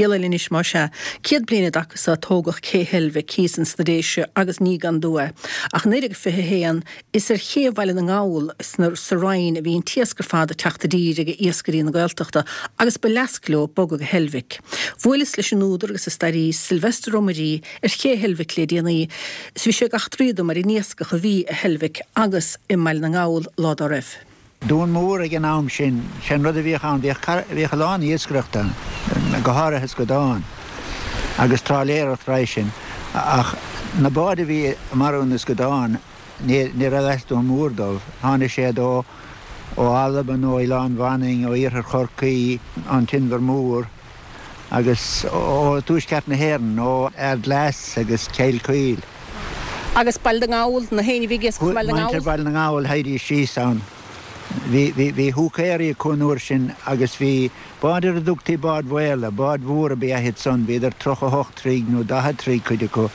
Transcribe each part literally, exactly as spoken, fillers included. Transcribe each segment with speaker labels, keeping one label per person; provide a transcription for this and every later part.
Speaker 1: Scéal eile anois más ea. Céad bliain i dtaca so tógadh Cé Heilbhic thíos ins na Déise agus ní gan dua é. Ach naoi déag fiche a haon is ar ché Bhaile na nGall sna sa Rinn a bhí an t-iasc ar fad ag teacht i dtír ag iascairí na Gaeltachta agus ba leasc leo bogadh go Heilbhic. Bhuaileas leis an údar agus an staraí Sylvester Ó Muirí ar ché Heilbhic le déanaí is bhí sé ag eachtraí dom ar an iascach a bhí i Heilbhic agus i mBaile na nGall lá dá raibh.
Speaker 2: Dún Mór ag an am sin, sin rud a bhíodh ann, bhíodh a lán iascaireachta go háirithe scadán agus trálaeireacht roimhe sin, ach na báid a bhí ag marú na scadán ní raibh as Dún Mór dóibh. Tháinig siad ó ó Albain, ó Oileán Mhanainn, ó Iarthar Chorcaí, an tInbhear Mór agus ó tuaisceart na hÉireann, ó Ardglass agus Cill Chaoil.
Speaker 1: Agus Baile na nGall, na héinne a bhí ag iascach i mBaile na nGall?
Speaker 2: Muintir Bhaile na nGall, théidís síos ann. Bhí, bhí, bhí húicéirí acu an uair sin agus bhí báid ar a dtugtaí báid mhaola, báid mhóra ba ea iad san, bhíodar tríocha a hocht troigh nó daichead troigh cuid acu.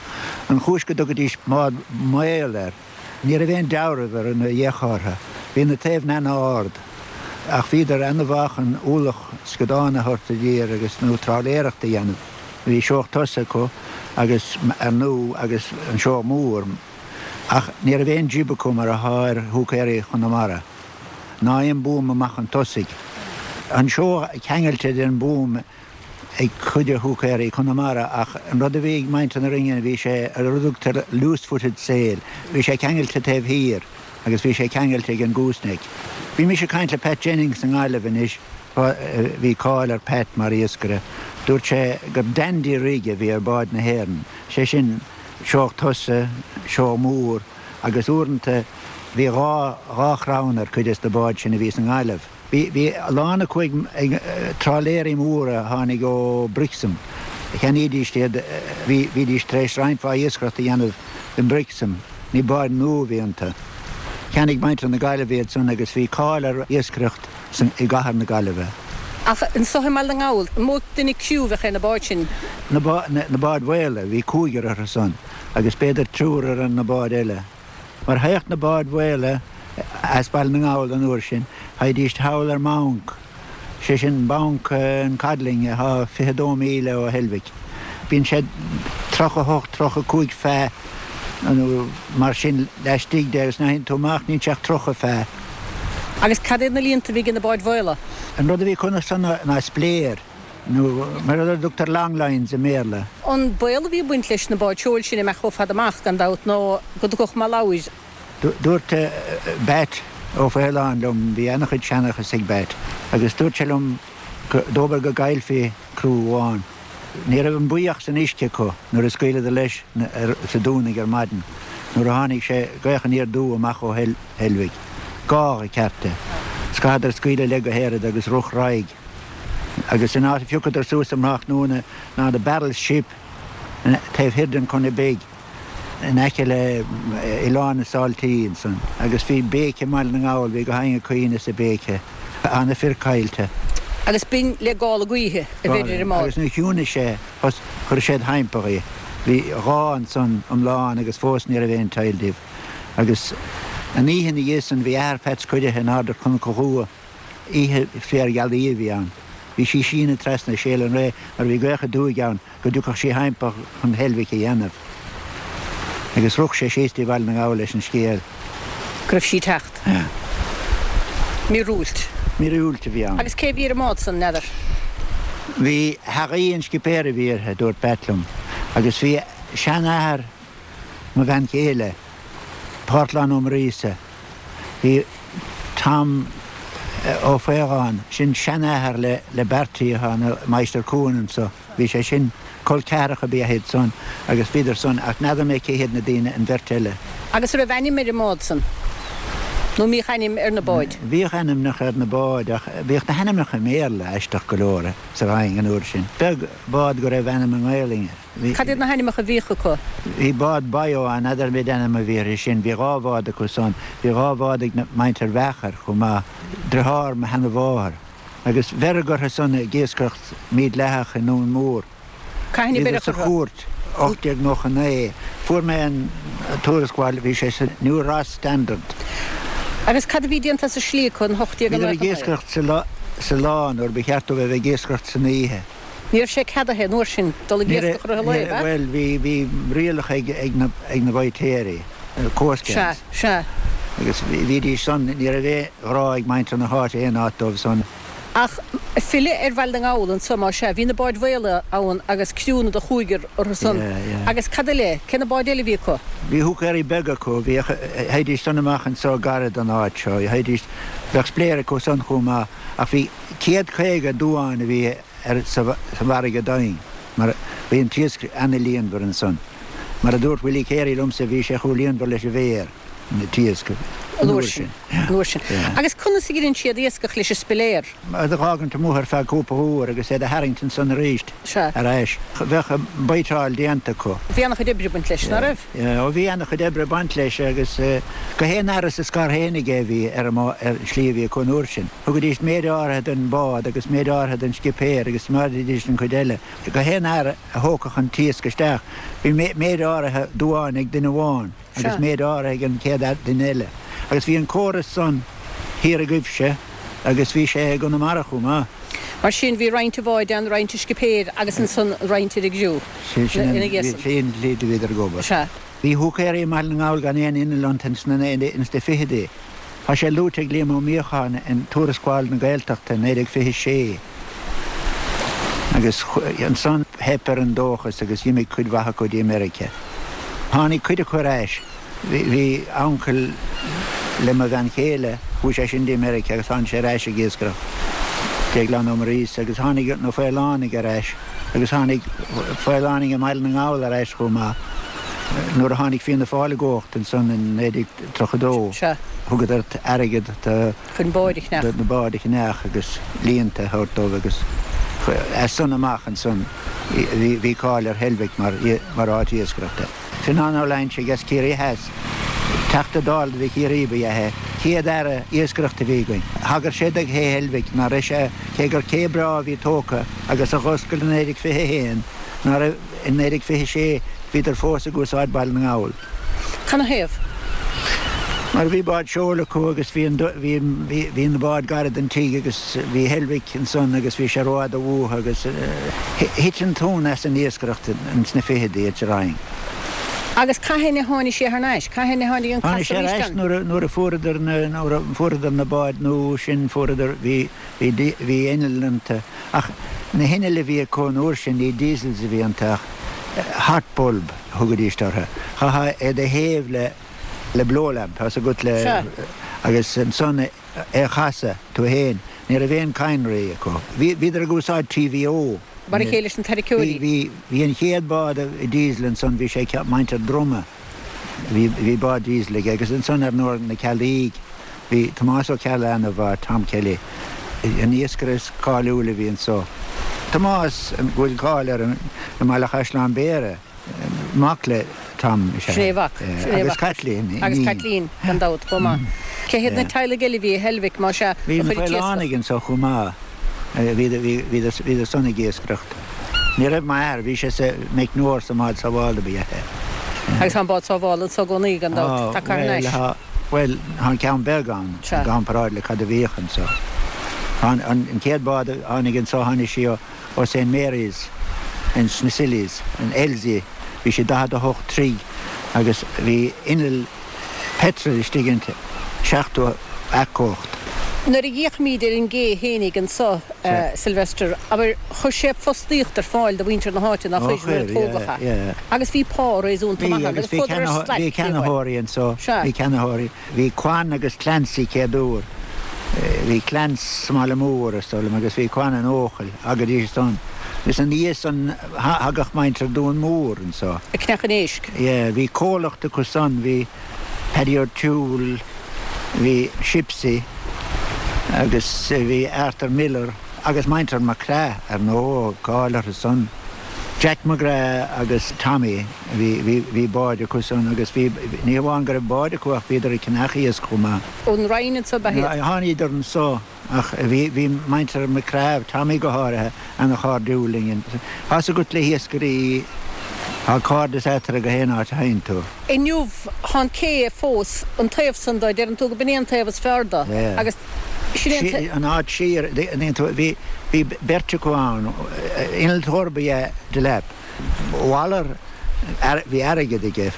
Speaker 2: An chúis go dtugaidís bád maol air, ní raibh aon dealramh ar na dhéchártha, bhí na taobhanna ana-ard, ach bhíodar ana-mhaith chun ualach scadán a thabhairt i dtír agus, nó trálaeireacht a dhéanamh. Bhí seoch tosaigh acu agus, ar ndú, agus an seoch mór. Ach ní raibh aon jib acu mar atá ar húicéirí Chonamara, ná aon buama amach chun tosaigh. An seoch ceangailte den búm ag cuid de húicéirí Chonamara ach an rud a bhí ag muintir na Rinne bhí sé ar a dtugtar loose-footed sail, bhí sé ceangailte taobh thiar agus bhí sé ceangailte ag an gooseneck. Bhí mise ag caint le Pat Jennings i nGaillimh anois, bhí cáil ar Pat mar iascaire, dúirt sé gur dandy rig a bhí ar báid na hÉireann, sé sin, seoch tosaigh, seoch mór agus uaireanta bhí dhá, dhá chrann ar cuid des na báid sin a bhí sa nGaillimh. Bhí, bhí a lán acu ag, ag trálaeirí móra a tháinig ó Brixham. Cheannaídís iad, bhí, bhídís tar éis roinnt mhaith iascaireacht a dhéanamh i mBrixham, ní báid nua a bhí iontu. Cheannaigh muintir na Gaillimhe iad san agus bhí cáil ar iascaireacht san, i gcathair na Gaillimhe.
Speaker 1: Ach anso i mBaile na nGall, an mó duine criú a bheadh ar na báid sin?
Speaker 2: Na báid mhaola, bhí cúigear orthu san agus b'fhéidir triúr ar na báid eile. Mar théadh na báid mhaola as Baile na nGall an uair sin, théidís thall ar mBanc, sé sin Banc an Codling atá fiche dó míle ó Heilbhic. Bíonn sé tríocha hocht, tríocha cúig feet nó mar sin laistigh de agus nuair a théann tú amach níl sé ach tríocha feet.
Speaker 1: Agus cad iad na líonta a bhí ag na báid mhaola?
Speaker 2: An rud a bhí acu san ná spléir, nó mar a dtugtar long lines i mBéarla.
Speaker 1: An baol a bhí ag baint leis na báid seoil sin imeacht chomh fada amach, gan dabht, ná go dtiocfadh mallabhair.
Speaker 2: Dúirt Batt Ó Faoláin liom, bhí ana-chuid seanchas ag Batt, agus dúirt sé liom dóbair go gcaillfí criú amháin. Ní raibh an buí ach san uisce acu nuair a scaoileadar leis sa Dúnaigh ar maidin, nuair a tháinig sé gaoth aniar aduaidh amach ó Heilbhic. Gágha ceart é. 'S chaitheadar scaoileadh le go héirid agus rith ar aghaidh. Agus an áit a phiocadar suas um thráthnóna ná the Battle Ship taobh thiar den Chonnaidh Bhig. in aice le Oileán na Sáiltí ansan agus bhí béice i mBaile na nGall, bhí gach éinne ag caoineadh is ag béiceadh, tá na fir caillte.
Speaker 1: Agus b'in le gála gaoithe a bheir ar an mbád.
Speaker 2: Agus nuair a chiúnaigh sé, chuir siad thimpeall í. Bhí dhá ansan iomlán agus fós ní raibh aon teill díobh. Agus an oíche ina dhiaidh san bhí athair Pheaits curtha in airde ar Chnoc an Ghua. Oíche phiarghealaí a bhí ann. Bhí sí síneadh trasna Séal an Ré mar bhí gaoth aduaidh ann go dtiocfadh sí thimpeall chun Heilbhic a dhéanamh. Agus rith sé síos dtí Baile na nGall leis an scéal.
Speaker 1: Go raibh sí ag teacht. Míorúilt.
Speaker 2: Míorúilt a bhí ann.
Speaker 1: Agus cé a bhí ar an mbád san, n'fheadar?
Speaker 2: Bhí Haghaí an scipéir a bhí uirthi, dúirt Pat liom. Agus bhí seanathair mo bhean chéile, Parthlán Ó Muiríosa, Bhí Tom Ó Faogáin, sin seanathair le le Bertie atá ina mháistir cuain anso, bhí sé sin, col ceathracha ab ea iad san agus bhíodar san ach n'fheadar mé cé hiad na daoine, an bheirt eile.
Speaker 1: Agus an raibh ainm ar an mbád san? Nó an mbíodh ainm ar na báid?
Speaker 2: Bhíodh ainmneacha ar na báid ach bhíodh na hainmneacha i mBéarla, aisteach go leor, sa Rinn an uair sin. Beag bád go raibh ainm i nGaelainn air. Bhí.
Speaker 1: Cad iad na hainmneacha a bhíodh acu?
Speaker 2: Bhí bád Bayo ann, n'fheadar an ainm a bhí uirthi sin. Bhí dhá bhád acu san. Bhí dhá bhád ag muintir Mheachair chomh maith, driotháir mo sheana-mháthar. Agus bheireadh orthu san ag iascaireacht mídhleathach i nDún Mór.
Speaker 1: Cathain a
Speaker 2: Bhíodar
Speaker 1: beireadh
Speaker 2: sa
Speaker 1: orthu?
Speaker 2: chúirt, ocht déag nócha naoi. Fuair mé an tuarascáil, bhí sé sa New Ross Standard.
Speaker 1: Agus cad a bhí déanta as an slí acu in ocht déag
Speaker 2: Bhíodar ag
Speaker 1: nócha naoi?
Speaker 2: iascaireacht sa lá nuair ba cheart dóibh a bheith ag iascaireacht san oíche.
Speaker 1: Ní raibh sé ceadaithe an uair sin dul ag iascach i rith an lae, ab ea?
Speaker 2: Bhuel, bhí, bhí rialacha ag, ag na, ag na baitéirí, Coast Guards.
Speaker 1: Sea, sea.
Speaker 2: Agus bhídís san, ní raibh aon ghrá ag muintir na háite aon áit dóibh san.
Speaker 1: Ach filleadh ar Bhaile na nGall anso, más ea, bhí na báid mhaola ann agus criúnna de chúigear orthu san.
Speaker 2: Yeah, yeah.
Speaker 1: Agus cad eile, cé na báid eile a bhí acu?
Speaker 2: Bhí húicéirí beaga acu, bhíodh, théidís san amach anso gairid don áit seo, théidís, bheadh spiléir acu san chomh maith, ach bhí céad caoga duán a bhí ar sa bhfarraige doimhin, mar bhí an t-iasc ana-líonmhar ansan. Mar a dúirt Willie Carey liomsa, bhí sé chomh líonmhar leis an bhféar, an t-iasc,
Speaker 1: an uair sin. An uair sin. Agus conas a dheineann siad iascach leis an spiléar?
Speaker 2: É a dh'fhágaint amuigh ar feadh cúpla uair agus é do tharraingt ansan arís ar ais. Bheadh an baiteáil déanta acu.
Speaker 1: Bhí ana-chuid oibre ag baint leis, ná raibh?
Speaker 2: Ó bhí ana-chuid oibre ag baint leis agus go haon fhear as a scar fhéinig é a bhí ar an slí a bhí acu an uair sin. Thugaidís méid áirithe don bhád agus méid áirithe don scipéir agus choimeádaidís an chuid eile. Go haon fhear a thógfadh an t-iasc isteach, bhí méid áirithe duáin ag duine amháin agus méid áirithe ag an chéad duine eile. Agus bhí an córas san thiar agaibhse agus bhí sé i gConamara chomh maith.
Speaker 1: Mar sin, bhí roinnt an bháid ann, roinnt an scipéir agus ansan roinnt ar an gcriú ina dhiaidh san.
Speaker 2: Sin an tslí a bhíodar ag obair.
Speaker 1: Sea.
Speaker 2: Bhí húicéirí i mBaile na nGall gan aon inneall iontu ins na fichidí. Tá sé luaite ag Liam Ó Míocháin in Tuarascáil na Gaeltachta naoi déag fiche sé. Agus ansan theip ar an dóchas agus d'imigh cuid mhaith acu dtí Meiriceá. Tháinig cuid acu ar ais. Bhí uncail le mo bhean chéile, chuaigh sé sin dtí Meiriceá agus tháinig sé ar ais ag iascaireacht. Déaglán Ó Muiríosa agus tháinig na Faolánaigh ar ais agus tháinig Faolánaigh i mBaile na nGall ar ais chomh maith. Nuair a tháinig Fianna Fáil i gcumhacht ansan in naoi déag tríocha dó, thugadar airgead do
Speaker 1: Chun báid a cheannach.
Speaker 2: na báid a cheannach agus líonta a thabhairt dóibh agus as san amach ansan bhí cáil ar Heilbhic mar mar áit iascaireachta. Fionán Ó Loingsigh as Ciarraí Theas, Teachta Dála do Chiarraí ba ea é, chéad Aire Iascaireachta a bhí againn. Thagair sé do Ché Heilbhic, ná raibh sé, cé gur cé breá a bhí tógtha agus a dh'oscail i naoi déag fiche a haon, ná raibh i naoi déag fiche sé, bhíodar fós ag úsáid Baile na nGall.
Speaker 1: Canathaobh?
Speaker 2: Mar bhí báid seoil acu agus bhí an, bhí, bhí, bhí na báid gairid don tigh agus bhí Heilbhic ansan agus bhí sé rófhada uathu agus thit an tonn as an iascaireacht ins na fichidí sa Rinn.
Speaker 1: Agus cathain a tháinig sé thar n-ais? Cathain a tháinig an
Speaker 2: Tháinig
Speaker 1: casadh
Speaker 2: sé ar
Speaker 1: arís
Speaker 2: ais
Speaker 1: ann?
Speaker 2: nuair a, nuair a fuaireadar na, nuair a fuaireadar na báid nua sin fuaireadar, bhí, bhí, bhí innill iontu ach na hinnill a bhí acu an uair sin ní diesels a bhí iontu ach hot bulb a thugaidís orthu. Chaithfeá é do théamh le, le blowlamp, tá's agat le,
Speaker 1: Sea.
Speaker 2: agus ansan é a chasadh tú fhéin. Ní raibh aon cadhnraí acu. Bhí, bhíodar ag úsáid TVO.
Speaker 1: Mar a chéile leis na tarraiceoirí.
Speaker 2: Bhí, bhí, bhí an chéad bád diesel ansan, bhí sé muintir Droma. Bhí, bhí bád diesel aige agus ansan ar ndóigh na Ceallaigh, bhí Tomás Ó Ceallaigh ana-mhaith, Tom Kelly, an iascaire is cáiliúil a bhí anso. Tomás, go bhfuil cáil air i mBaile Chaisleáin Bhéarra, mac le Tom is ea
Speaker 1: Sin é a mhac. Sin é a
Speaker 2: Agus
Speaker 1: mhac.
Speaker 2: Caitlín,
Speaker 1: Agus
Speaker 2: iníon.
Speaker 1: Caitlín, gan dabht, chomh maith. Cé hiad na teaghlaigh eile a bhí i Heilbhic, más ea,
Speaker 2: Bhí
Speaker 1: a
Speaker 2: na
Speaker 1: chuir an t-iascach?
Speaker 2: Faolánaigh anso chomh maith. Bhíodar san ag iascaireacht. Ní raibh m'athair, bhí sé sa meicneoir sa mbád sábhála ba ea é.
Speaker 1: Agus tá an bád sábhála anso i gcónaí, gan dabht,
Speaker 2: Tá,
Speaker 1: tagtha thar
Speaker 2: bhuel,
Speaker 1: n-ais.
Speaker 2: tá, bhuel, tá an ceann beag ann, i
Speaker 1: Sea.
Speaker 2: gcomparáid le cad a bhíodh anso. Tá an, an chéad bád a tháinig anso, tháinig sí ó, ó Saint Mary's ins na Scillies, an Elsie, bhí sí daichead a hocht troigh agus bhí inneall peitril istigh inti, seachtó each-cumhacht.
Speaker 1: Nuair a fhéachaimid ar an gcé fhéinig anso, Sylvester, abair, chuir sé fostaíocht ar fáil do mhuintir na háite, nár
Speaker 2: Ó
Speaker 1: chuir, nuair a
Speaker 2: chuir,
Speaker 1: tógadh
Speaker 2: yeah,
Speaker 1: é.
Speaker 2: yeah.
Speaker 1: Agus bhí pá réasúnta
Speaker 2: Bhí,
Speaker 1: maith ann,
Speaker 2: agus
Speaker 1: agus
Speaker 2: bhí
Speaker 1: chuadar ar
Speaker 2: ceannaitheoirí,
Speaker 1: slaic
Speaker 2: bhí
Speaker 1: fiú amháin.
Speaker 2: ceannaitheoirí anso,
Speaker 1: Sea.
Speaker 2: bhí ceannaitheoirí. Bhí Quan agus Clancy céad uair. Bhí Clance sa mBaile Mór, is dóigh liom, agus bhí Quan in Eochaill, thagaidís ansan. Agus ina dhiaidh san, thagadh muintir Dún Mór anso.
Speaker 1: Ag ceannach an éisc.
Speaker 2: Yeah, bhí comhlacht acu san, bhí Paddy O'Toole, bhí Shipsy agus bhí Arthur Miller agus muintir McCraith, ar ndóigh, cáil orthu san. Jack McGrath agus Tommy, bhí, bhí, bhí báid acu san agus bhí, ní hamháin go raibh báid acu ach bhíodar ag ceannach iasc chomh maith.
Speaker 1: Ón Rinn anso ab ea iad?
Speaker 2: Tháiníodar anso ach bhí, bhí muintir McCraith, Tommy go háirithe, ana-chairdiúil linn. Tá's agat le hiascairí, tá cairdeas eatarthu go haon áit a théann tú.
Speaker 1: Inniu, tá an cé fós, an taobh san de, deireann tú go b'in é an taobh is fearr de
Speaker 2: Yeah.
Speaker 1: agus Sin
Speaker 2: an áit siar, bhí bhí beirt acu ann, innealtóir ba ea Delap. Waller bhí airgead aige,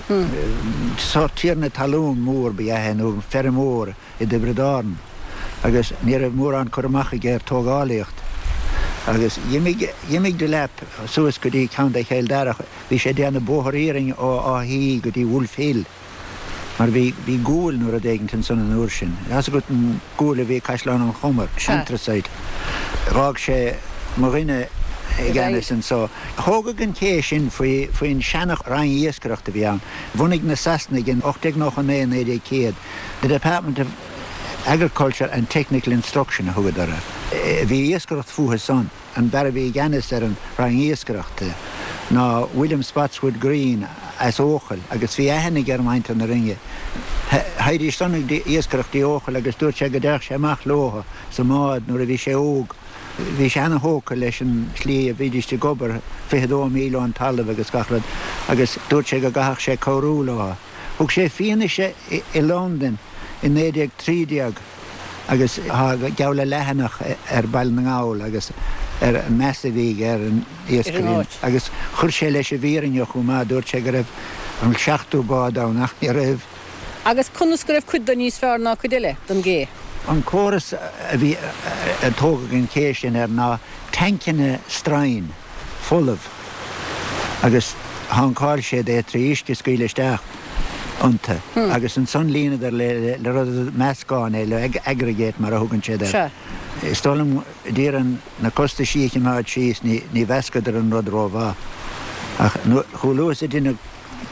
Speaker 2: sórt tiarna talún mór ba ea é nó feirmeoir i dTiobraid Árann agus ní raibh mórán cur amach aige ar tógálaíocht. Agus d'imigh d'imigh Delap suas go dtí Contae Chill Dara, bhí sé ag déanamh bóthar iarainn ó Áth Í go dtí Wolfhill. Mar bhí bhí gual nó rud éigint ansan an uair sin. Tá a fhios agat an gual a bhí i Caisleán an Chomair, anthracite. Dh'fhág sé mo dhuine i gceannas anso. Thógadh an ché sin faoi faoin seana-roinn iascaireachta a bhí ann. Bhunaigh na Sasanaigh in ocht déag nócha naoi, naoi déag céad, The Department of Agriculture and Technical Instruction a thugadar air. Bhí iascaireacht fúthu san. An fear a bhí i gceannas ar an Roinn Iascaireachta ná William Spotswood Green as Eochaill agus bhí aithne aige ar mhuintir na Rinne. Théidís san ag iascaireacht i Eochaill agus dúirt sé go dtéadh sé amach leo sa mbád nuair a bhí sé óg. Bhí sé ana-thógtha leis an slí a bhídís ag obair, fiche dó míle ón talamh agus gach rud, agus dúirt sé go gcaithfeadh sé cabhrú leo. Thug sé fianaise i Londain i naoi déag trí déag agus tá geall le leathanach ar Baile na nGall agus ar an meas a bhí aige ar an iascairí agus chuir sé leis an bhfírinne chomh maith, dúirt sé go raibh an seachtú bád ann ach ní raibh.
Speaker 1: Agus conas go raibh cuid de níos fearr ná cuid eile den gcé?
Speaker 2: An córas a bhí a tógadh an ché sin air ná tancanna stroighin folamh agus thankáil siad é trí uisce a scaoileadh isteach iontu agus ansan líonadar le rud meascán é, le aggregate mar a thugann siad air. Is dóigh liom d'iarraidh na costaisí a chimeád síos ní mheascadar an rud rómhaith. Ach chomh luath is a deineadh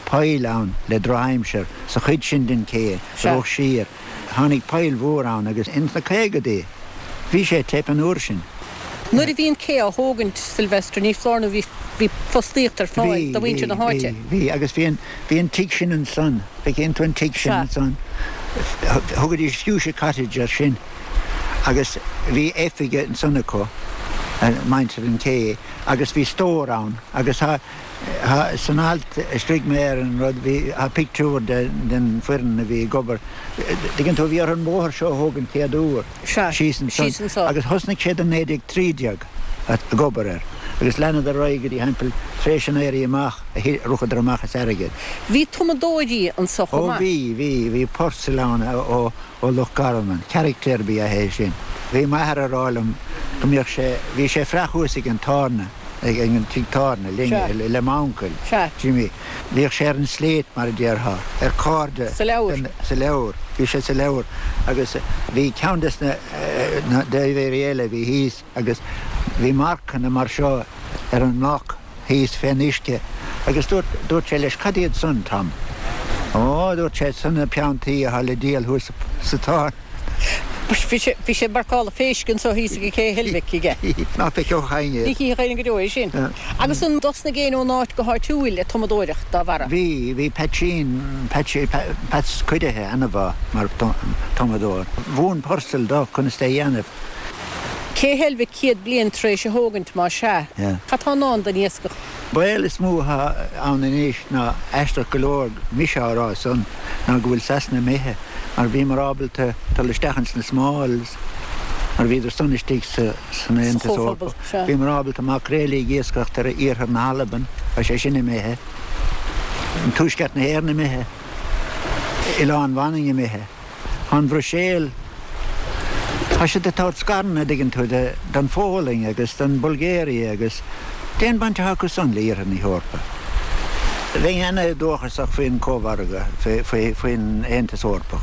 Speaker 2: poill ann le drochaimsir sa chuid sin den ché a rith siar, tháinig poill mhór ann agus ins na caogadaí bhí sé ag teip an uair sin.
Speaker 1: Nuair a bhí an cé á thógaint, Sylvester, ní foláir nó bhí bhí fostaíocht ar fáil do mhuintir na háite.
Speaker 2: Bhí, bhí, agus bhí an, bhí an tigh sin ansan, feiceann tú an tigh sin ansan, thugaidís Fuchsia Cottage air sin agus bhí oifig ansan acu, muintir an ché, agus bhí stór ann agus tá, tá, san alt a scrígh mé ar an rud, bhí, tá pictiúr de, den foireann a bhí ag obair, tuigeann tú, bhí orthu an bóthar seo a thógaint chéad uair,
Speaker 1: Sea,
Speaker 2: síos ansan,
Speaker 1: síos anso.
Speaker 2: Agus thosnaigh siad in naoi déag trí déag ag obair air agus leanadar ar aghaidh go dtí thimpeall tar éis an Éirí Amach a rachadar amach as airgead.
Speaker 1: Bhí tumadóirí anso chomh
Speaker 2: Ó
Speaker 1: maith.
Speaker 2: bhí, bhí, bhí Purcell ann ó, ó Loch Garman, carachtar ba ea é sin. Bhí m'athair a rá liom go mbíodh sé, bhí sé ag fraoch thuas ag an tábhairne, ag an tigh tábhairne linn,
Speaker 1: Sea.
Speaker 2: le m'uncail,
Speaker 1: Sea.
Speaker 2: Jimmy. Bhíodh sé ar an slate mar a déarfá, ar cairde.
Speaker 1: Sa leabhar.
Speaker 2: Sa leabhar. Bhí sé sa leabhar agus bhí ceann des na na daibhéirí eile a bhí thíos agus bhí marcanna mar seo ar an mbloc thíos fén uisce agus dúirt, dúirt sé leis, cad iad san, Tom? Ó, dúirt sé, san na piontaí atá le díol thuas sa tábhairne.
Speaker 1: Bhí sé, bhí sé ag marcáil phéisc anso thíos ag Cé Heilbhic aige.
Speaker 2: Ná feicfeadh éinne
Speaker 1: Ní
Speaker 2: iad.
Speaker 1: chífeadh éinne go deo é sin. Agus an dtosnaigh éinne ón áit go háitiúil ag tumadóireacht dá bharra?
Speaker 2: Bhí, bhí Peaitsín, Peaitsí, Peats Cuidithe ana-mhaith mar tumadóir. Mhúin Purcell dó conas é a dhéanamh.
Speaker 1: Cé Heilbhic céad bliain tar éis a thógaint, más ea? Cad tá i ndán don iascach?
Speaker 2: Baol is mó atá ann anois ná, aisteach go leor, mise á rá san, ná go bhfuil Sasana imithe, mar bhíomar ábalta dul isteach ins na Smalls, mar bhíodar san istigh sa, san
Speaker 1: Sa
Speaker 2: Aontas
Speaker 1: Chomhphobal,
Speaker 2: Eorpach.
Speaker 1: sea.
Speaker 2: Bhíomar ábalta maicréilí ag iascaireacht ar iarthar na hAlban, tá sé sin imithe. Tuaisceart na hÉireann imithe. Oileán Mhanainn imithe. Tá an Bhruiséil, tá siad ag tabhairt scaireanna, an dtuigeann tú, don Pholainn agus don Bhulgáiria agus cén baint atá acu san le Iarthar na hEorpa? Bheinn ana-dóchasach faoin Chómhargadh, faoin Aontas Eorpach.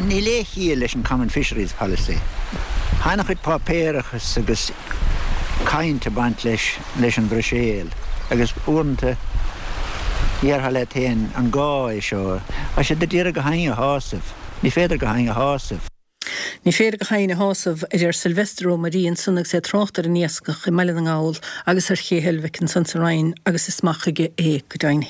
Speaker 2: Níl aon chiall leis an Common Fisheries Policy. Tá ana-chuid páipéarachas agus caint ag baint leis leis an Bhruiséil agus uaireanta déarfá leat féin an gá é seo? Tá siad ag iarraidh gach éinne a shásamh. Ní féidir gach éinne a shásamh.
Speaker 1: Ní féidir gach éinne a shásamh, a deir Sylvester Ó Muirí ansan agus é ag trácht ar an iascach i mBaile na nGall agus ar Ché Heilbhic ansan sa Rinn agus is maith chuige é go deimhin.